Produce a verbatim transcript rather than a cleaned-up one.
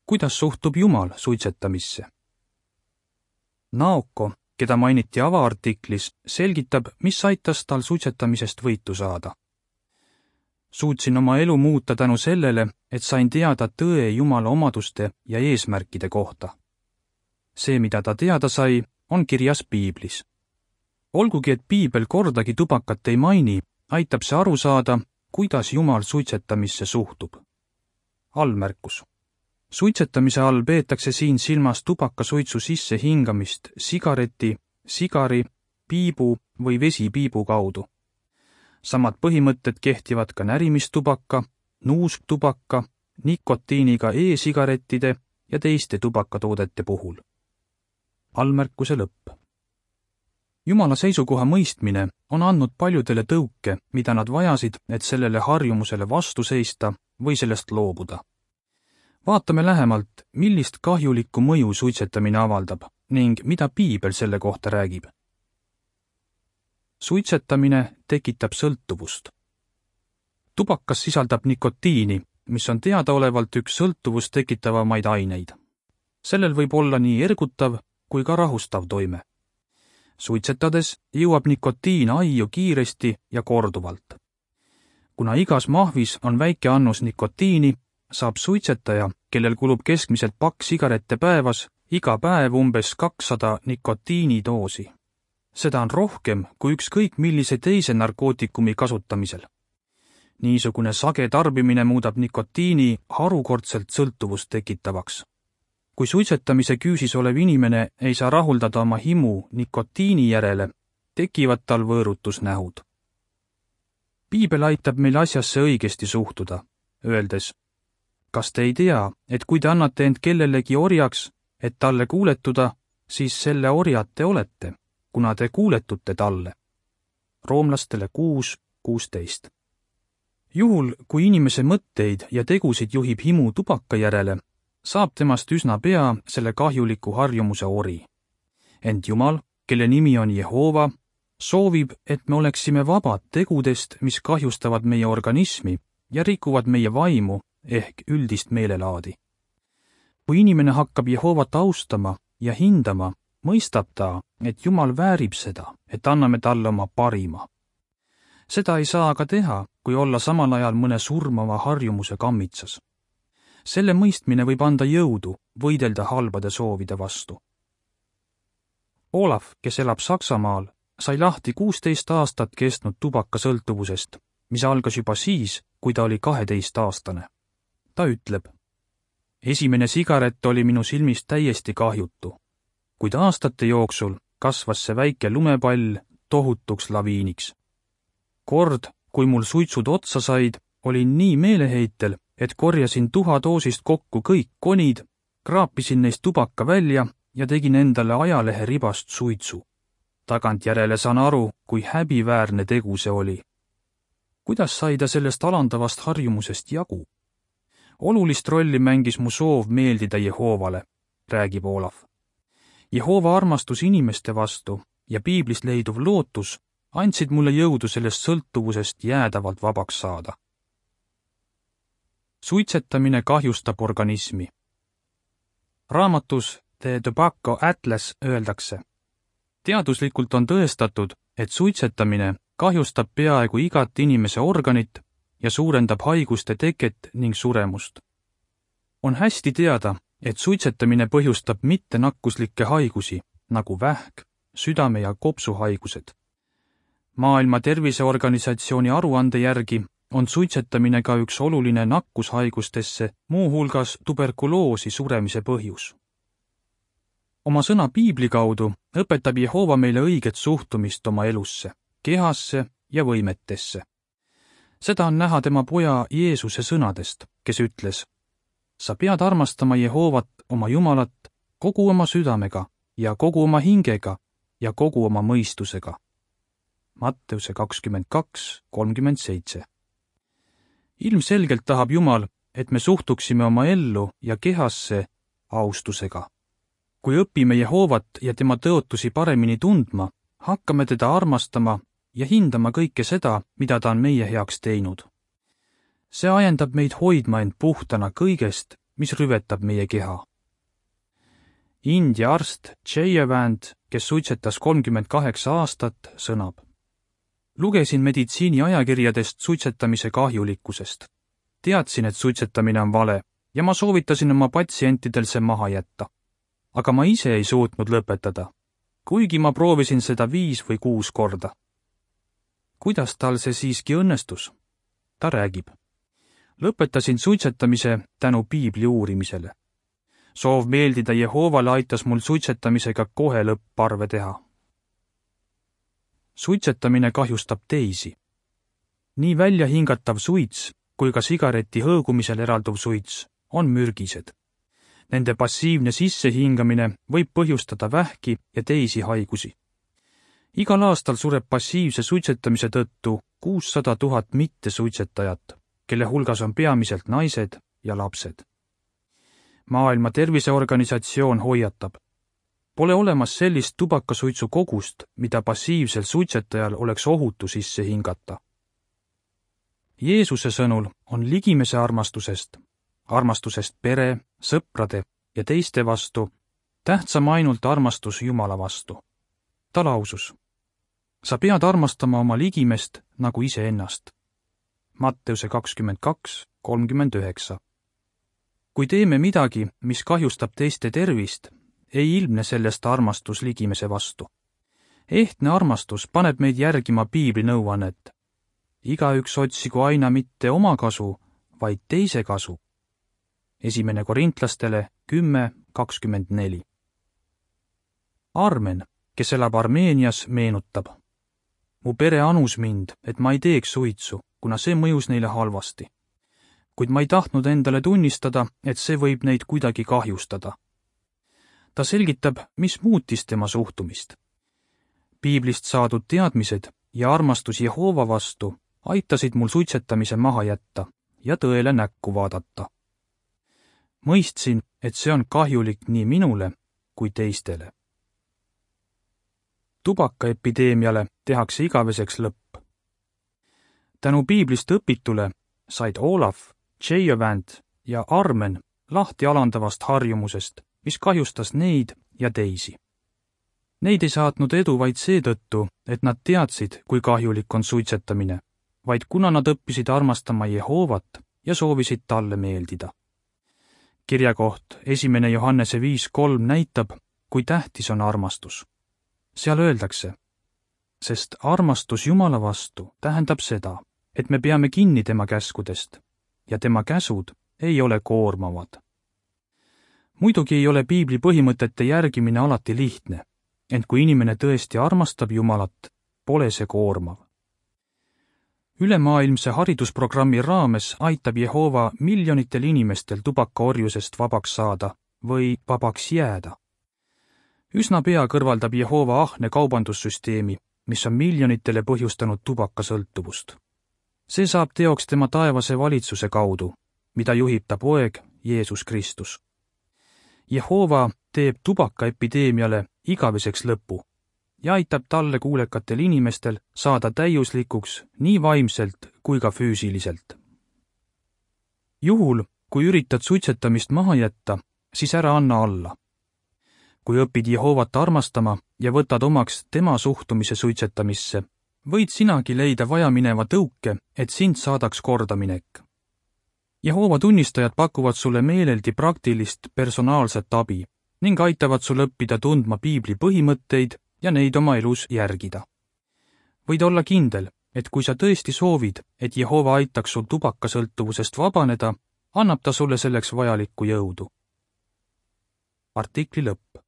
Kuidas suhtub Jumal suitsetamisse? Naoko, keda mainiti avaartiklis, selgitab, mis aitas tal suitsetamisest võitu saada. Suutsin oma elu muuta tänu sellele, et sain teada tõe Jumala omaduste ja eesmärkide kohta. See, mida ta teada sai, on kirjas piiblis. Olgugi, et piibel kordagi tubakat ei maini, aitab see aru saada, kuidas Jumal suitsetamisse suhtub. Allmärkus. Suitsetamise all peetakse siin silmas tubakasuitsu sisse hingamist sigareti, sigari, piibu või vesipiibu kaudu. Samad põhimõtted kehtivad ka närimistubaka, nuusktubaka, nikotiiniga e-sigarettide ja teiste tubakatoodete puhul. Allmärkuse lõpp. Jumala seisukoha mõistmine on andnud paljudele tõuke, mida nad vajasid, et sellele harjumusele vastu seista või sellest loobuda. Vaatame lähemalt, millist kahjulikku mõju suitsetamine avaldab ning mida piibel selle kohta räägib. Suitsetamine tekitab sõltuvust. Tubakas sisaldab nikotiini, mis on teadaolevalt üks sõltuvust tekitavamaid aineid. Sellel võib olla nii ergutav kui ka rahustav toime. Suitsetades jõuab nikotiin aiu kiiresti ja korduvalt. Kuna igas mahvis on väike annus nikotiini, saab suitsetaja, kellel kulub keskmiselt pakk sigarette päevas, iga päev umbes kakssada nikotiinidoosi. Seda on rohkem kui ükskõik millise teise narkootikumi kasutamisel. Niisugune sage tarbimine muudab nikotiini harukordselt sõltuvust tekitavaks. Kui suitsetamise küüsis olev inimene ei saa rahuldada oma himu nikotiini järele, tekivad tal võõrutusnähud. Piibel aitab meil asjasse õigesti suhtuda, öeldes, kas te ei tea, et kui te annate end kellelegi orjaks, et talle kuuletuda, siis selle orjad te olete, kuna te kuuletute talle. Roomlastele kuus kuusteist. Juhul, kui inimese mõtteid ja tegusid juhib himu tubaka järele, saab temast üsna pea selle kahjuliku harjumuse ori. Ent Jumal, kelle nimi on Jehova, soovib, et me oleksime vabad tegudest, mis kahjustavad meie organismi ja rikuvad meie vaimu ehk üldist meelelaadi. Kui inimene hakkab Jehovat austama ja hindama, mõistab ta, et Jumal väärib seda, et anname talle oma parima. Seda ei saa aga teha, kui olla samal ajal mõne surmava harjumuse kammitsas. Selle mõistmine võib anda jõudu võidelda halbade soovide vastu. Olaf, kes elab Saksamaal, sai lahti kuusteist aastat kestnud tubakasõltuvusest, mis algas juba siis, kui ta oli kaheteistaastane. Ta ütleb, esimene sigaret oli minu silmist täiesti kahjutu, kuid aastate jooksul kasvas see väike lumepall tohutuks laviiniks. Kord, kui mul suitsud otsa said, olin nii meeleheitel, et korjasin tuhadoosist kokku kõik konid, kraapisin neist tubaka välja ja tegin endale ajalehe ribast suitsu. Tagantjärele saan aru, kui häbiväärne tegu see oli. Kuidas sai ta sellest alandavast harjumusest jagu? Olulist rolli mängis mu soov meeldida Jehovale, räägib Olaf. Jehova armastus inimeste vastu ja piiblist leiduv lootus andsid mulle jõudu sellest sõltuvusest jäädavalt vabaks saada. Suitsetamine kahjustab organismi. Raamatus The Tobacco Atlas öeldakse, teaduslikult on tõestatud, et suitsetamine kahjustab peaaegu igat inimese organit ja suurendab haiguste teket ning suremust. On hästi teada, et suitsetamine põhjustab mittenakkuslikke haigusi, nagu vähk, südame- ja kopsuhaigused. Maailma Terviseorganisatsiooni aruande järgi on suitsetamine ka üks oluline nakkushaigustesse, muuhulgas tuberkuloosi suremise põhjus. Oma sõna piibli kaudu õpetab Jehova meile õiget suhtumist oma elusse, kehasse ja võimetesse. Seda on näha tema poja Jeesuse sõnadest, kes ütles, sa pead armastama Jehovat, oma Jumalat, kogu oma südamega ja kogu oma hingega ja kogu oma mõistusega. Matteuse kakskümmend kaks kolmkümmend seitse. Ilmselgelt tahab Jumal, et me suhtuksime oma ellu ja kehasse austusega. Kui õpime Jehovat ja tema tõotusi paremini tundma, hakkame teda armastama ja hindama kõike seda, mida ta on meie heaks teinud. See ajendab meid hoidma end puhtana kõigest, mis rüvetab meie keha. India arst Jayavand, kes suitsetas kolmkümmend kaheksa aastat, sõnab: lugesin meditsiini ajakirjadest suitsetamise kahjulikkusest. Teadsin, et suitsetamine on vale ja ma soovitasin oma patsientidel see maha jätta. Aga ma ise ei suutnud lõpetada, kuigi ma proovisin seda viis või kuus korda. Kuidas tal see siiski õnnestus? Ta räägib: lõpetasin suitsetamise tänu piibli uurimisele. Soov meeldida Jehoovale aitas mul suitsetamisega kohe lõpparve teha. Suitsetamine kahjustab teisi. Nii välja hingatav suits kui ka sigareti hõõgumisel eralduv suits on mürgised. Nende passiivne sissehingamine võib põhjustada vähki ja teisi haigusi. Igal aastal sureb passiivse suitsetamise tõttu kuussada tuhat mittesuitsetajat, kelle hulgas on peamiselt naised ja lapsed. Maailma Terviseorganisatsioon hoiatab: pole olemas sellist tubakasuitsu kogust, mida passiivsel suitsetajal oleks ohutu sisse hingata. Jeesuse sõnul on ligimese armastusest, armastusest pere, sõprade ja teiste vastu tähtsam ainult armastus Jumala vastu. Ta lausus: sa pead armastama oma ligimest nagu iseennast. Matteuse kakskümmend kaks kolmkümmend üheksa. Kui teeme midagi, mis kahjustab teiste tervist, ei ilmne sellest armastus ligimese vastu. Ehtne armastus paneb meid järgima piibli nõuannet: igaüks otsigu aina mitte oma kasu, vaid teise kasu. Esimene Korintlastele kümme kakskümmend neli. Armen, kes elab Armeenias, meenutab: mu pere anus mind, et ma ei teeks suitsu, kuna see mõjus neile halvasti. Kuid ma ei tahtnud endale tunnistada, et see võib neid kuidagi kahjustada. Ta selgitab, mis muutis tema suhtumist. Piiblist saadud teadmised ja armastus Jehoova vastu aitasid mul suitsetamise maha jätta ja tõele näkku vaadata. Mõistsin, et see on kahjulik nii minule kui teistele. Tubakaepideemiale tehakse igaveseks lõpp. Tänu piiblist õpitule said Olaf, Jayavand ja Armen lahti alandavast harjumusest, mis kahjustas neid ja teisi. Neid ei saatnud edu vaid seetõttu, et nad teadsid, kui kahjulik on suitsetamine, vaid kuna nad õppisid armastama Jehoovat ja soovisid talle meeldida. Kirjakoht esimene Johannese viis kolm näitab, kui tähtis on armastus. Seal öeldakse: sest armastus Jumala vastu tähendab seda, et me peame kinni tema käskudest ja tema käsud ei ole koormavad. Muidugi ei ole piibli põhimõtete järgimine alati lihtne, ent kui inimene tõesti armastab Jumalat, pole see koormav. Ülemaailmse haridusprogrammi raames aitab Jehova miljonitel inimestel tubakaorjusest vabaks saada või vabaks jääda. Üsna pea kõrvaldab Jehova ahne kaubandussüsteemi, mis on miljonitele põhjustanud tubakasõltuvust. See saab teoks tema taevase valitsuse kaudu, mida juhib ta poeg Jeesus Kristus. Jehova teeb tubakaepideemiale igaveseks lõpu ja aitab talle kuulekatel inimestel saada täiuslikuks nii vaimselt kui ka füüsiliselt. Juhul, kui üritad suitsetamist maha jätta, siis ära anna alla. Kui õpid Jehovat armastama ja võtad omaks tema suhtumise suitsetamisse, võid sinagi leida vajamineva tõuke, et sind saadaks kordaminek. Jehova tunnistajad pakuvad sulle meeleldi praktilist personaalset abi ning aitavad sul õppida tundma piibli põhimõtteid ja neid oma elus järgida. Võid olla kindel, et kui sa tõesti soovid, et Jehova aitaks sul tubakasõltuvusest vabaneda, annab ta sulle selleks vajalikku jõudu. Artikli lõpp.